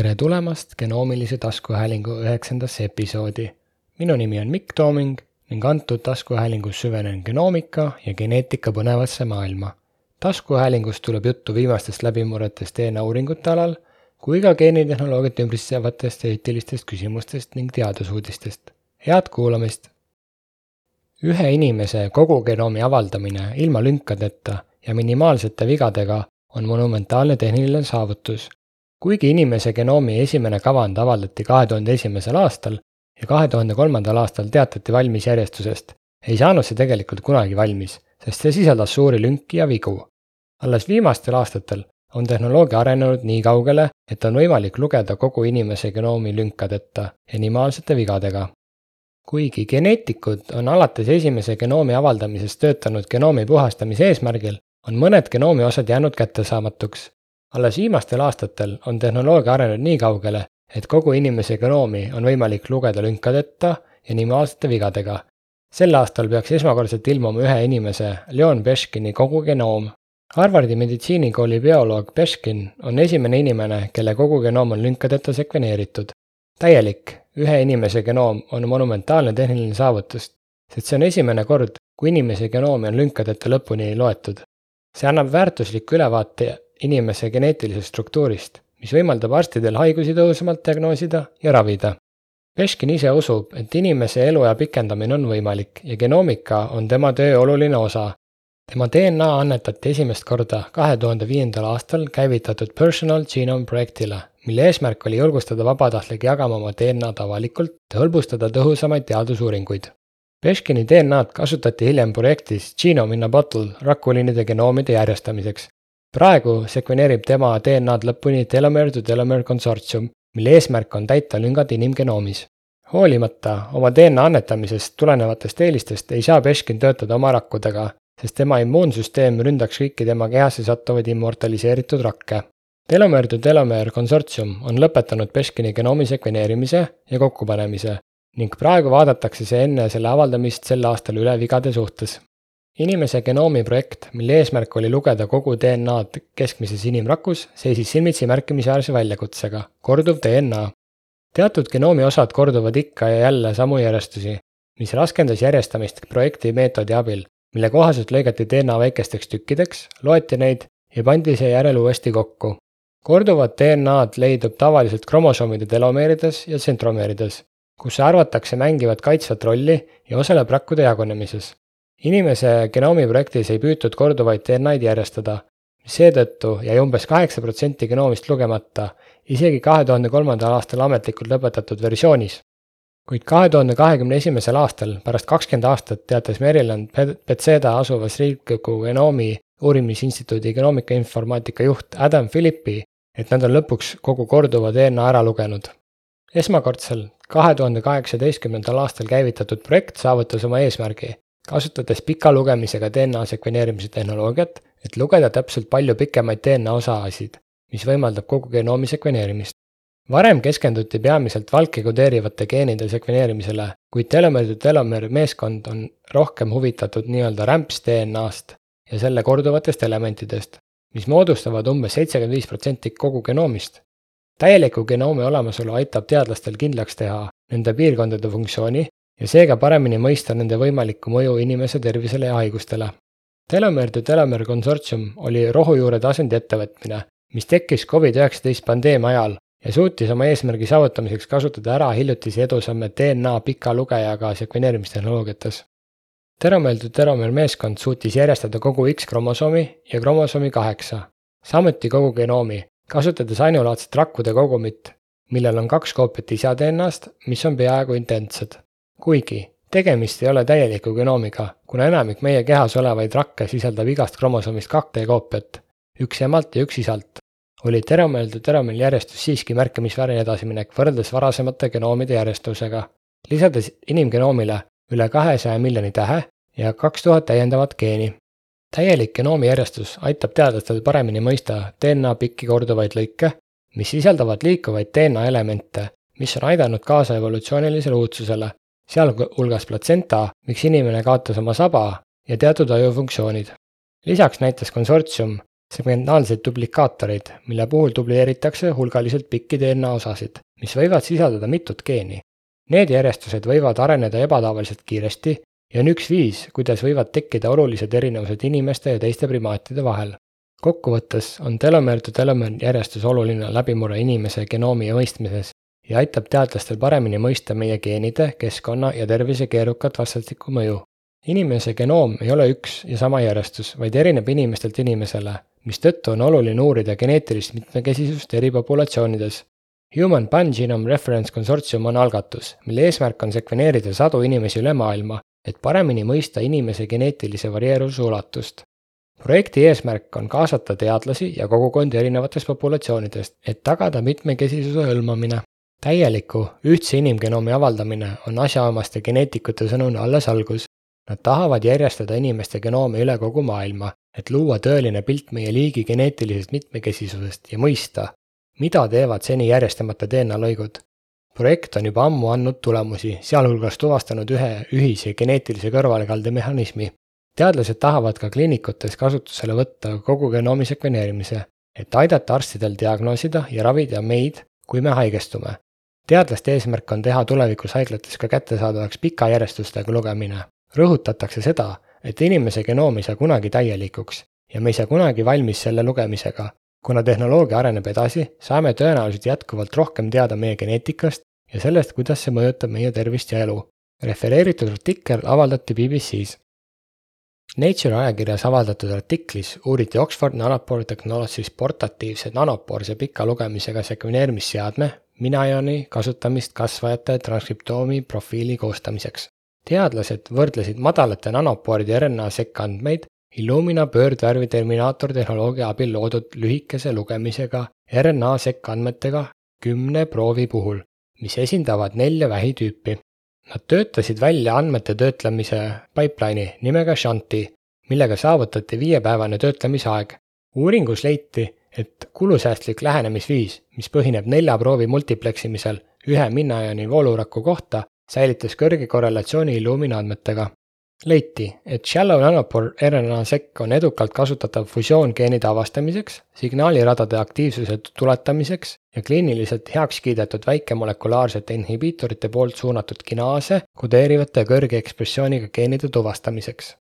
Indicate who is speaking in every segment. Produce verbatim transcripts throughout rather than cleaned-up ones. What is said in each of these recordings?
Speaker 1: Tere tulemast genoomilise taskuhäälingu üheksandasse episoodi. Minu nimi on Mikk Tooming ning antud taskuhäälingus süvenen genoomika ja geneetika põnevasse maailma. Taskuhäälingus tuleb juttu viimastest läbimurretest D N A uuringute alal, kui ka geenitehnoloogiat ümbritsevatest eetilistest küsimustest ning teadusuudistest. Head kuulamist! Ühe inimese kogu genoomi avaldamine ilma lünkadeta ja minimaalsete vigadega on monumentaalne tehniline saavutus. Kuigi inimese genoomi esimene kavand avaldati kahe tuhande esimesel aastal ja kahe tuhande kolmandal aastal teatati valmis järjestusest, ei saanud see tegelikult kunagi valmis, sest see sisaldas suuri lünki ja vigu. Alles viimastel aastatel on tehnoloogia arenenud nii kaugele, et on võimalik lugeda kogu inimese genoomi lünkadeta ja minimaalsete vigadega. Kuigi geneetikud on alates esimese genoomi avaldamisest töötanud genoomi puhastamise eesmärgil, on mõned genoomi osad jäänud kättesaamatuks. Alles viimastel aastatel on tehnoloogia arenenud nii kaugele, et kogu inimese genoomi on võimalik lugeda lünkadeta ja minimaalsete vigadega. Sel aastal peaks esmakordselt ilmuma ühe inimese, Leon Beškini kogu genoom. Harvardi meditsiinikooli bioloog Beškin on esimene inimene, kelle kogu genoom on lünkadeta sekveneeritud. Täielik, ühe inimese genoom on monumentaalne tehniline saavutus, sest see on esimene kord, kui inimese genoomi on lünkadeta lõpuni loetud. See annab väärtusliku ülevaate inimese geneetilisest struktuurist, mis võimaldab arstidel haigusi tõhusamalt diagnoosida ja ravida. Beškin ise usub, et inimese eluea pikendamine on võimalik ja genoomika on tema töö oluline osa. Tema D N A annetati esimest korda kahe tuhande viiendal aastal käivitatud Personal Genome projektile, mille eesmärk oli julgustada vabatahtlike jagama oma D N A-d avalikult ja hõlbustada tõhusamaid teadusuuringuid. Beškini D N A-d kasutati hiljem projektis Genome in a Bottle rakuliinide genoomide järjestamiseks. Praegu sekveneerib tema D N A-d lõpuni Telomere-to-Telomere konsortsium, mille eesmärk on täita lüngad inimgenoomis. Hoolimata oma D N A annetamisest tulenevatest eelistest ei saa Beškin töötada oma rakkudega, sest tema immuunsüsteem ründaks kõiki tema kehasse sattuvaid immortaliseeritud rakke. Telomere-to-Telomere konsortsium on lõpetanud Beškini genoomi sekveneerimise ja kokkupanemise ning praegu vaadatakse see enne selle avaldamist sel aastal üle vigade suhtes. Inimese genoomi projekt, mille eesmärk oli lugeda kogu D N A-d keskmises inimrakus, seisis silmitsi märkimisväärse väljakutsega, korduv D N A. Teatud genoomi osad korduvad ikka ja jälle samu järjestusi, mis raskendas järjestamist projekti meetodi abil, mille kohaselt lõigati D N A väikesteks tükkideks, loeti neid ja pandi seejärel uuesti kokku. Korduvad D N A-d leidub tavaliselt kromosoomide telomeerides ja tsentromeerides, kus arvatakse mängivad kaitsvat rolli ja osaleb rakkude jagunemises. Inimese genoomi projektis ei püütud korduvaid D N A-d järjestada, seetõttu jäi umbes kaheksa protsenti genoomist lugemata, isegi kahe tuhande kolmandal aastal ametlikult lõpetatud versioonis. Kuid kahe tuhande kahekümne esimesel aastal, pärast kakskümmend aastat, teatas Maryland Bethesda asuvas riikliku genoomi uurimisinstituudi genoomika informaatika juht Adam Philippi, et nad on lõpuks kogu korduva D N A ära lugenud. Esmakordsel kahe tuhande kaheksateistkümnendal aastal käivitatud projekt saavutas oma eesmärgi, kasutades pika lugemisega D N A sekveneerimise tehnoloogiat, et lugeda täpselt palju pikemaid D N A osaasid, mis võimaldab kogu genoomi sekveneerimist. Varem keskenduti peamiselt valke kodeerivate geenide sekveneerimisele, kuid Telomere-to-Telomere meeskond on rohkem huvitatud nii-öelda rämps D N A-st ja selle korduvatest elementidest, mis moodustavad umbes seitsekümmend viis protsenti kogu genoomist. Täieliku genoomi olemasolu aitab teadlastel kindlaks teha nende piirkondade funktsiooni ja seega paremini mõista nende võimalikku mõju inimese tervisele ja haigustele. Telomere-to-Telomere konsortsium oli rohujuure tasendi ettevõtmine, mis tekkis covid üheksateist pandeemia ajal ja suutis oma eesmärgi saavutamiseks kasutada ära hiljutisi edusamme D N A pika lugejaga sekveneerimistehnoloogiates. Telomere-to-Telomere meeskond suutis järjestada kogu X-kromosoomi ja kromosoomi kaheksa, samuti kogu genoomi, kasutades ainulaadset rakkude kogumit, millel on kaks koopiat isa D N A-st, mis on peaaegu identsed. Kuigi, tegemist ei ole täieliku genoomiga, kuna enamik meie kehas olevaid rakke sisaldab igast kromosoomist kaks koopiat, üks emalt ja üks isalt, oli Telomere-to-Telomere järjestus siiski märkimisväärne edasiminek võrreldes varasemate genoomide järjestusega, lisades inimgenoomile üle kahesaja miljoni tähe ja kaks tuhat täiendavat geeni. Täielik genoomi järjestus aitab teadlastel paremini mõista D N A pikki korduvaid lõike, mis sisaldavad liikuvaid D N A elemente, mis on aidanud kaasa evolutsioonilisele uudsusele, sealhulgas platsenta, miks inimene kaotas oma saba ja teatud ajufunktsioonid. Lisaks näitas konsortsium segmentaalseid duplikaatoreid, mille puhul dubleeritakse hulgaliselt pikki D N A osasid, mis võivad sisaldada mitut geeni. Need järjestused võivad areneda ebatavaliselt kiiresti ja on üks viis, kuidas võivad tekkida olulised erinevused inimeste ja teiste primaatide vahel. Kokkuvõttes on telomeer-to-telomeer järjestus oluline läbimurre inimese genoomi mõistmises ja aitab teadlastel paremini mõista meie geenide, keskkonna ja tervise keerukat vastastikku mõju. Inimese genoom ei ole üks ja sama järjestus, vaid erineb inimestelt inimesele, mistõttu on oluline uurida geneetilist mitmekesisust eri populatsioonides. Human Pangenome Reference Consortium on algatus, mille eesmärk on sekveneerida sadu inimesi üle maailma, et paremini mõista inimese geneetilise varieeruvuse ulatust. Projekti eesmärk on kaasata teadlasi ja kogukondi erinevatest populatsioonidest, et tagada mitmekesisuse hõlmamine. Täieliku, ühtse inimgenoomi avaldamine on asjaomaste geneetikute sõnul alles algus. Nad tahavad järjestada inimeste genoomi üle kogu maailma, et luua tõeline pilt meie liigi geneetilisest mitmekesisusest ja mõista, mida teevad seni järjestamata D N A lõigud. Projekt on juba ammu andnud tulemusi, sealhulgas tuvastanud ühe ühise geneetilise kõrvalekalde mehhanismi. Teadlased tahavad ka kliinikutes kasutusele võtta kogu genoomi sekveneerimise, et aidata arstidel diagnoosida ja ravida meid, kui me haigestume. Teadlaste eesmärk on teha tulevikus haiglates ka kättesaadavaks pika järjestustega lugemine. Rõhutatakse seda, et inimese genoom ei saa kunagi täielikuks ja me ei saa kunagi valmis selle lugemisega. Kuna tehnoloogia areneb edasi, saame tõenäoliselt jätkuvalt rohkem teada meie geneetikast ja sellest, kuidas see mõjutab meie tervist ja elu. Refereeritud artikkel avaldati B B C's. Nature ajakirjas avaldatud artiklis uuriti Oxford Nanopore Technologies portatiivse nanopoorse pika lugemisega sekveneerimisseadme Minaioni kasutamist kasvajate transkriptoomi profiili koostamiseks. Teadlased võrdlesid madalate nanopooride R N A sekkandmeid Illumina pöördvärvi terminaator tehnoloogia abil loodud lühikese lugemisega R N A sekkandmetega kümne proovi puhul, mis esindavad nelja vähitüüpi. Nad töötasid välja andmete töötlemise pipeline'i nimega Shanti, millega saavutati viiepäevane töötlemisaeg. Uuringus leiti, et kulusäästlik lähenemisviis, mis põhineb nelja proovi multipleksimisel ühe Minaioni vooluraku kohta, säilitas kõrge korrelatsiooni Illumina andmetega. Leiti, et Shallow Nanopore R N A sekk on edukalt kasutatav fusiooнгeenide avastamiseks, signaaliradade aktiivsuse tuletamiseks ja kliiniliselt heaks kiidetud väikemolekulaarsete inhibiitorite poolt suunatud kinaase kodeerivate kõrge ekspressiooniga geenide tuvastamiseks.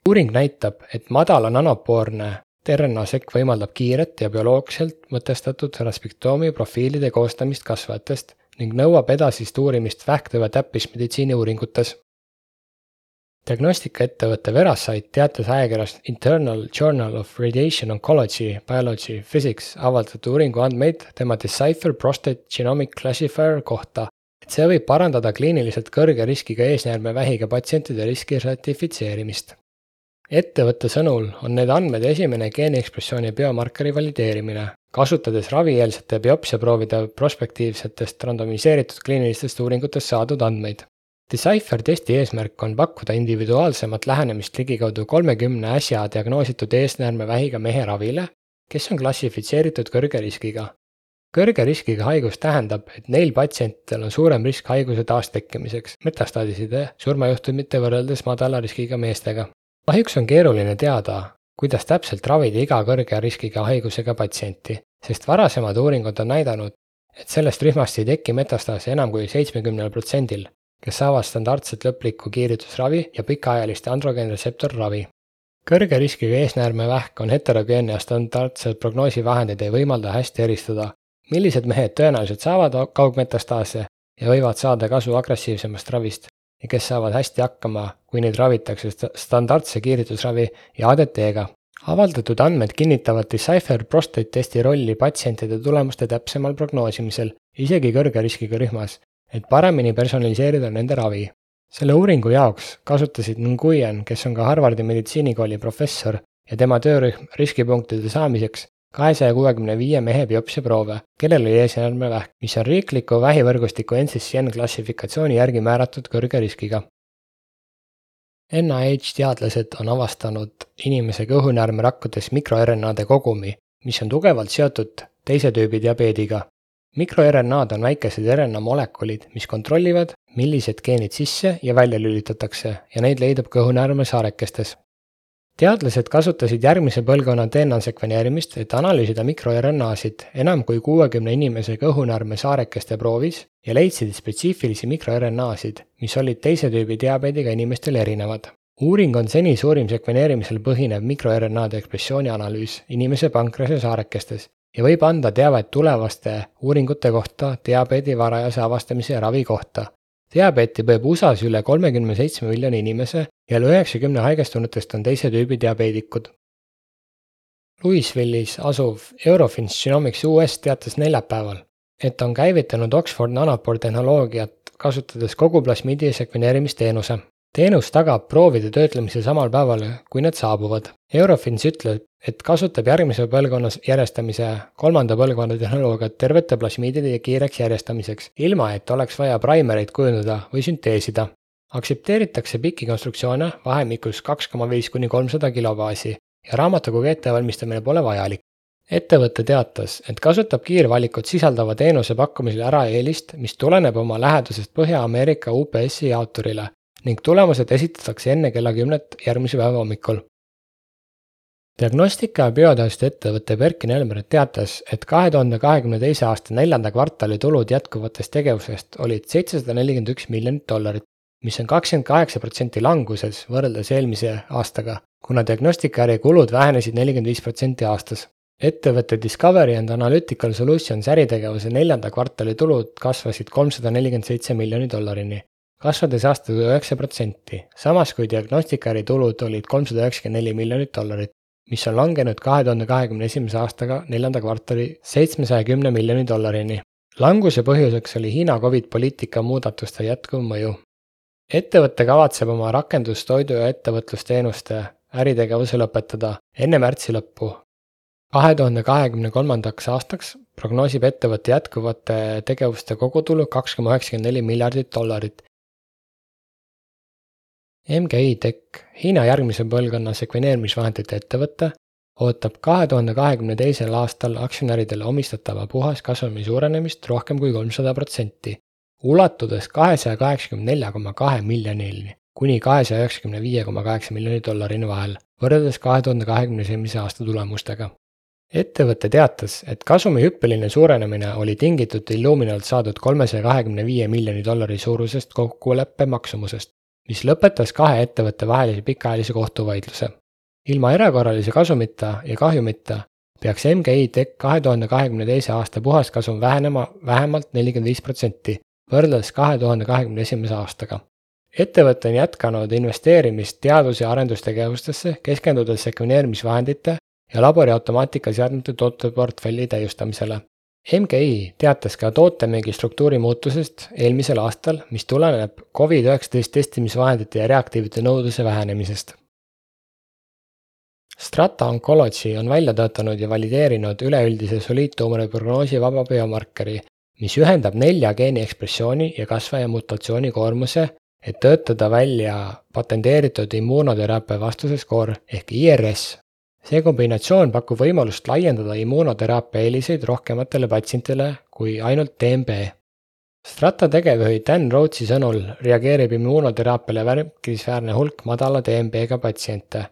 Speaker 1: Uuring näitab, et madala nanopoorne R N A sekk võimaldab kiiret ja bioloogselt mõtestatud transkriptoomi profiilide koostamist kasvajatest ning nõuab edasist uurimist vähktõve täppismeditsiini uuringutes. Diagnostikaettevõtte Veracyte teatas ajakirjas Internal Journal of Radiation Oncology, Biology, Physics avaldatud uuringu andmeid tema Decipher Prostate Genomic Classifier kohta, et see võib parandada kliiniliselt kõrge riskiga eesnäärmevähiga patsientide riski sertifitseerimist. Ettevõtte sõnul on need andmed esimene geeniekspressiooni biomarkeri valideerimine, kasutades ravieelsete biopsiaproovide prospektiivsetest randomiseeritud kliinilistest uuringutest saadud andmeid. Decipher testi eesmärk on pakkuda individuaalsemat lähenemist ligikaudu kolmekümne äsja diagnoositud eesnäärmevähiga mehe ravile, kes on klassifitseeritud kõrge riskiga. Kõrge riskiga haigus tähendab, et neil patsientidel on suurem risk haiguse taastekkimiseks, metastaadiside surmajuhtumite võrreldes madala riskiga meestega. Kahjuks on keeruline teada, kuidas täpselt ravida iga kõrge riskiga haigusega patsienti, sest varasemad uuringud on näidanud, et sellest rühmast ei teki metastaasi enam kui seitsmekümne protsendil, kes saavad standardset lõplikku kiiritusravi ja pikaajaliste androgeenreseptorravi. Kõrge riskiga eesnäärmevähk on heterogeenne ja standardsed prognoosivahendid ei võimalda hästi eristada, millised mehed tõenäoliselt saavad kaugmetastaase ja võivad saada kasu agressiivsemast ravist ja kes saavad hästi hakkama, kui neid ravitakse standardse kiiritusravi ja A D T-ga. Avaldatud andmed kinnitavad Decipher prostate testi rolli patsientide tulemuste täpsemal prognoosimisel, isegi kõrge riskiga rühmas, et paremini personaliseerida nende ravi. Selle uuringu jaoks kasutasid Nguyen, kes on ka Harvardi meditsiinikooli professor ja tema töörühm riskipunktide saamiseks kahesaja kuuekümne viie mehe biopsiaproove, kellel oli eesnäärmevähk, mis on riikliku vähivõrgustiku N C C N klassifikatsiooni järgi määratud kõrge riskiga. N I H teadlased on avastanud inimese kõhunäärmerakkudes mikro-R N A-de kogumi, mis on tugevalt seotud teise tüübi diabeediga. Mikro-R N A-d on väikesed R N A molekulid, mis kontrollivad, millised geenid sisse ja välja lülitatakse ja neid leidub kõhunäärme saarekestes. Teadlased kasutasid järgmise põlvkonna D N A sekveneerimist, et analüüsida mikro-R N A-sid enam kui kuuekümne inimese kõhunarme saarekeste proovis ja leidsid spetsiifilisi mikro-R N A-sid, mis olid teise tüübi diabeediga inimestel erinevad. Uuring on seni suurim sekveneerimisel põhinev mikro-R N A-de ekspressiooni analüüs inimese pankrase saarekestes ja võib anda teavet tulevaste uuringute kohta diabeedi varajase avastamise ja ravi kohta. Diabeeti põeb U S A-s üle kolmekümne seitsme miljoni inimese ja üle üheksakümne haigestunutest on teise tüübi diabeedikud. Louisville'is asuv Eurofins Genomics U S teatas neljapäeval, et on käivitanud Oxford Nanopore tehnoloogiat kasutades kogu plasmiidi sekveneerimisteenuse. Teenus tagab proovide töötlemise samal päeval, kui need saabuvad. Eurofins ütleb, et kasutab järgmise põlvkonnas järjestamise kolmanda põlvkonna tehnoloogiat tervete plasmiidide kiireks järjestamiseks, ilma et oleks vaja primereid kujundada või sünteesida. Aksepteeritakse pikki konstruktsioone vahemikus kaks koma viis kuni kolmsada kilobaasi ja raamatukogu ettevalmistamine pole vajalik. Ettevõte teatas, et kasutab kiirvalikut sisaldava teenuse pakkumisel ära eelist, mis tuleneb oma lähedusest Põhja-Ameerika U P S-i jaoturile ning tulemused esitatakse enne kella kümnet järgmise päeva hommikul. Diagnostika ja bioteaduste ettevõte Berkin Elmer teatas, et kahe tuhande kahekümne teise aasta neljanda kvartali tulud jätkuvatest tegevusest olid seitsesada nelikümmend üks miljonit dollarit, mis on kakskümmend kaheksa protsenti languses võrreldes eelmise aastaga, kuna diagnostikaäri kulud vähenesid nelikümmend viis protsenti aastas. Ettevõtte Discovery and Analytical Solutions äritegevuse neljanda kvartali tulud kasvasid kolmsada nelikümmend seitse miljoni dollarini, kasvades aastaga üheksa protsenti, samas kui diagnostikaäri tulud olid kolmsada üheksakümmend neli miljonit dollarit, mis on langenud kahe tuhande kahekümne esimese aastaga neljanda kvartali seitsmesaja kümne miljoni dollarini. Languse põhjuseks oli Hiina Covid poliitika muudatuste jätkuv mõju. Ettevõte kavatseb oma rakendustoidu ja ettevõtlusteenuste äritegevuse lõpetada enne märtsi lõppu. kahe tuhande kahekümne kolmandaks aastaks prognoosib ettevõtte jätkuvate tegevuste kogutulu kaks koma üheksakümmend neli miljardit dollarit. M G I Tech, Hiina järgmise põlvkonna sekveneerimisvahendite ettevõte, ootab kahe tuhande kahekümne teisel aastal aktsionäridele omistatava puhaskasumi suurenemist rohkem kui kolmsada protsenti, ulatudes kahesaja kaheksakümne nelja koma kahe miljonini kuni kahesaja üheksakümne viie koma kaheksa miljoni dollarini vahel, võrreldes kahe tuhande kahekümne esimese aasta tulemustega. Ettevõte teatas, et kasumi hüppeline suurenemine oli tingitud Illuminalt saadud kolmesaja kahekümne viie miljoni dollari suurusest kokkuleppe maksumusest, mis lõpetas kahe ettevõtte vahelise pikaajalise kohtuvaidluse. Ilma erakorralise kasumita ja kahjumita peaks M G I Tech kahe tuhande kahekümne teise aasta puhaskasum vähenema vähemalt nelikümmend viis protsenti, võrreldes kahe tuhande kahekümne esimese aastaga. Ettevõte on jätkanud investeerimist teadus- ja arendustegevustesse, keskendudes sekveneerimisvahendite ja labori automaatikaseadmete tooteportfelli täiustamisele. M G I teatas ka tootemüügi struktuuri muutusest eelmisel aastal, mis tuleneb Covid üheksateist testimisvahendite ja reaktiivide nõudluse vähenemisest. Strata Oncology on välja töötanud ja valideerinud üleüldise soliidtuumori prognoosi vaba biomarkeri, mis ühendab nelja geeni ekspressiooni ja kasvaja mutatsiooni koormuse, et töötada välja patenteeritud immuunoteraapia vastuseskoor ehk I R S. See kombinatsioon pakub võimalust laiendada immuunoteraapia eeliseid rohkematele patsientidele kui ainult D M B. Strata tegevjuhi Dan Rhodesi sõnul reageerib immuunoteraapiale märkimisväärne hulk madala D M B-ga patsiente.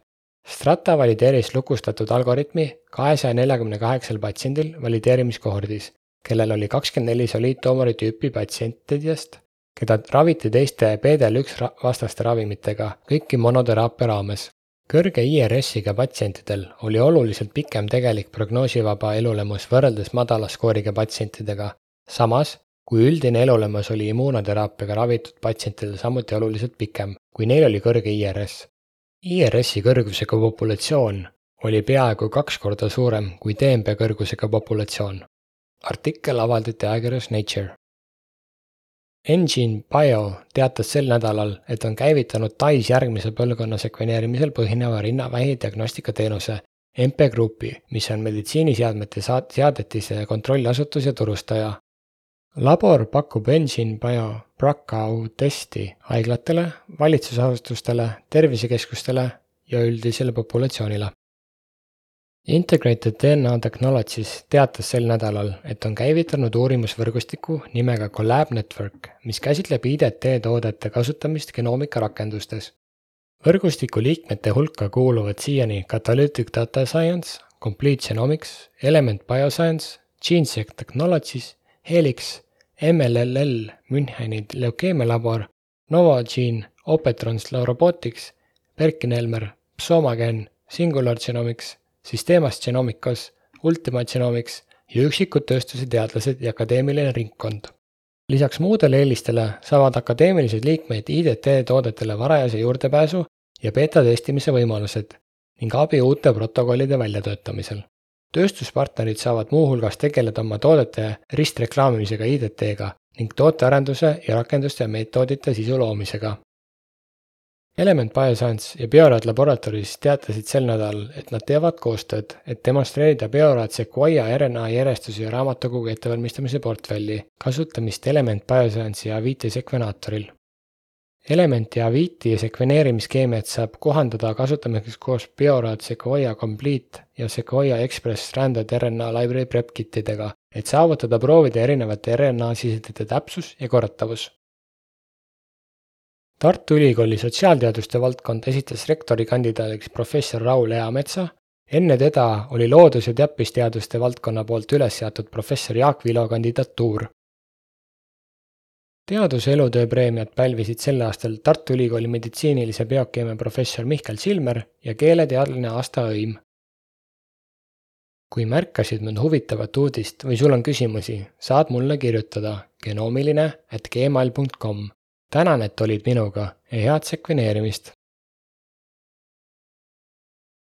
Speaker 1: Strata valideeris lukustatud algoritmi kahesaja neljakümne kaheksal patsiendil valideerimiskohordis, kellel oli kakskümmend neli soliidtuumori tüüpi patsientidest, keda raviti teiste P D L üks vastaste ravimitega, kõiki monoteraapia raames. Kõrge I R S-iga patsientidel oli oluliselt pikem tegelik prognoosivaba elulemus võrreldes madala skooriga patsientidega, samas kui üldine elulemus oli immuunoteraapiaga ravitud patsientidel samuti oluliselt pikem, kui neil oli kõrge I R S. I R S-i kõrgusega populatsioon oli peaaegu kaks korda suurem kui D M B kõrgusega populatsioon. Artikkel avaldati ajakirjas Nature. Engine Bio teatas sel nädalal, et on käivitanud Tais järgmise põlvkonna sekveneerimisel põhineva rinnavähi diagnostikateenuse M P Groupi, mis on meditsiiniseadmete seadetise kontrolliasutus ja turustaja. Labor pakub Engine Bio BRCA testi haiglatele, valitsusasutustele, tervisekeskustele ja üldisele populatsioonile. Integrated D N A Technologies teatas sel nädalal, et on käivitanud uurimusvõrgustiku nimega Collab Network, mis käsitleb I D T toodete kasutamist genoomika rakendustes. Võrgustiku liikmete hulka kuuluvad siiani Catalytic Data Science, Complete Genomics, Element Bioscience, GeneSec Technologies, Helix, M L L L Müncheni leukeemialabor, Novogene, Opetrons Robotics, Perkin-Elmer, Psomagen, Singular Genomics, Systemas Genomicos, Ultima Genomics ja üksikud tööstuse teadlased ja akadeemiline ringkond. Lisaks muudele eelistele saavad akadeemilised liikmeid I D T toodetele varajase juurdepääsu ja beta testimise võimalused ning abi uute protokollide väljatöötamisel. Tööstuspartnerid saavad muuhulgas tegeleda oma toodete ristreklaamimisega I D T-ga ning tootearenduse ja rakenduste ja meetodite sisu loomisega. Element Bioscience ja Biorad Laboratories teatasid sel nädal, et nad teevad koostööd, et demonstreerida Biorad Sequoia R N A järjestuse ja raamatukogu ettevalmistamise portfelli kasutamist Element Bioscience ja Aviti sekvenaatoril. Elementi Aviti sekveneerimiskeemiat saab kohandada kasutamiseks koos Biorad Sequoia Complete ja Sequoia Express Stranded R N A Library Prep Kitidega, et saavutada proovide erinevate R N A-sisendite täpsus ja korratavus. Tartu Ülikooli sotsiaalteaduste valdkond esitas rektori kandidaadiks professor Raul Eametsa, enne teda oli loodus- ja täppisteaduste valdkonna poolt üles seatud professor Jaak Vilo kandidatuur. Teaduse elutöö preemiat pälvisid sel aastal Tartu Ülikooli meditsiinilise biokeemia professor Mihkel Silmer ja keeleteadlane Asta Õim. Kui märkasid mõnd huvitavat uudist või sul on küsimusi, saad mulle kirjutada genoomiline at gmail punkt com. Tänan, et olid minuga ja head sekveneerimist!